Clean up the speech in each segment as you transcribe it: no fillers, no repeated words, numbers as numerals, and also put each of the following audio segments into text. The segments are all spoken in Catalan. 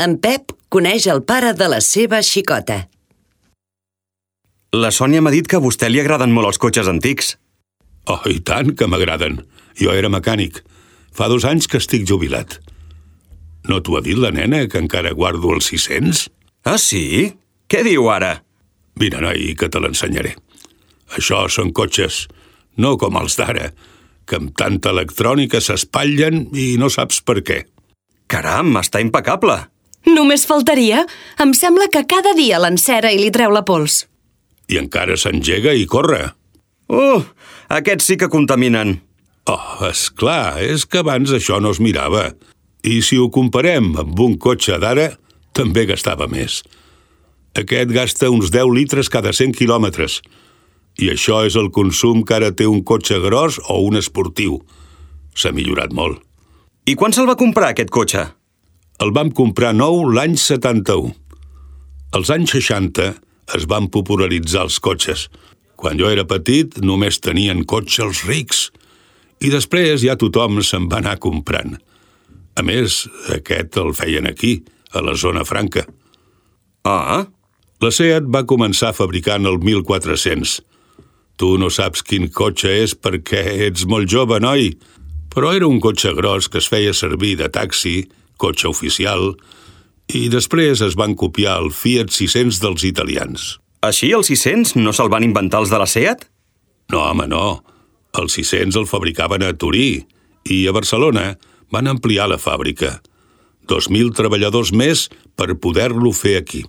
En Pep coneix el pare de la seva xicota. La Sònia m'ha dit que a vostè li agraden molt els cotxes antics. Oh, i tant que m'agraden. Jo era mecànic. Fa 2 anys que estic jubilat. No t'ho ha dit la nena, que encara guardo els 600? Ah, sí? Què diu ara? Mira, noi, que te l'ensenyaré. Això són cotxes, no com els d'ara, que amb tanta electrònica s'espatllen i no saps per què. Caram, està impecable. Només faltaria. Em sembla que cada dia l'encera i li treu la pols. I encara s'engega i corre. Aquests sí que contaminen. Oh, esclar, és que abans això no es mirava. I si ho comparem amb un cotxe d'ara, també gastava més. Aquest gasta uns 10 litres cada 100 quilòmetres. I això és el consum que ara té un cotxe gros o un esportiu. S'ha millorat molt. I quan se'l va comprar, aquest cotxe? El vam comprar nou l'any 71. Als anys 60 es van popularitzar els cotxes. Quan jo era petit només tenien cotxe els rics. I després ja tothom se'n va anar comprant. A més, aquest el feien aquí, a la zona franca. Ah? La Seat va començar fabricant el 1400. Tu no saps quin cotxe és perquè ets molt jove, noi, però era un cotxe gros que es feia servir de taxi, cotxe oficial, i després es van copiar el Fiat 600 dels italians. Així el 600 no se'l van inventar els de la Seat? No, home, no. El 600 el fabricaven a Turí i a Barcelona van ampliar la fàbrica. 2.000 treballadors més per poder-lo fer aquí.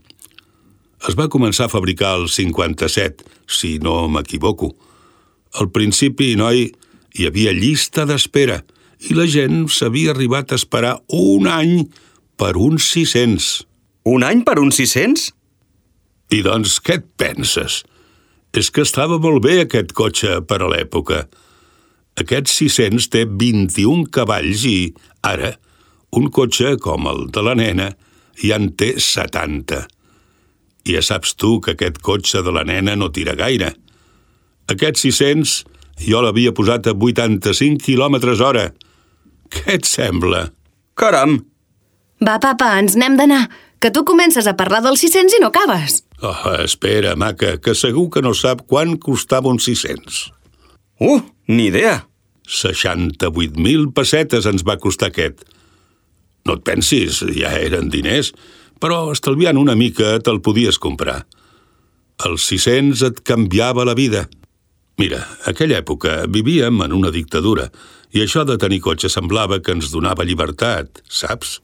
Es va començar a fabricar el 57, si no m'equivoco. Al principi, noi, hi havia llista d'espera i la gent s'havia arribat a esperar 1 any per uns 600. 1 any per uns 600? I doncs, què et penses? És que estava molt bé aquest cotxe per a l'època. Aquest 600 té 21 cavalls i, ara, un cotxe com el de la nena ja en té 70. I ja saps tu que aquest cotxe de la nena no tira gaire. Aquest 600 jo l'havia posat a 85 km/h. Què et sembla? Caram! Va, papa, ens n'hem d'anar, que tu comences a parlar dels 600 i no acabes. Oh, espera, maca, que segur que no sap quant costava un 600. Ni idea. 68.000 pessetes ens va costar aquest. No et pensis, ja eren diners, però estalviant una mica te'l podies comprar. Els 600 et canviava la vida. Mira, a aquella època vivíem en una dictadura i això de tenir cotxe semblava que ens donava llibertat, saps?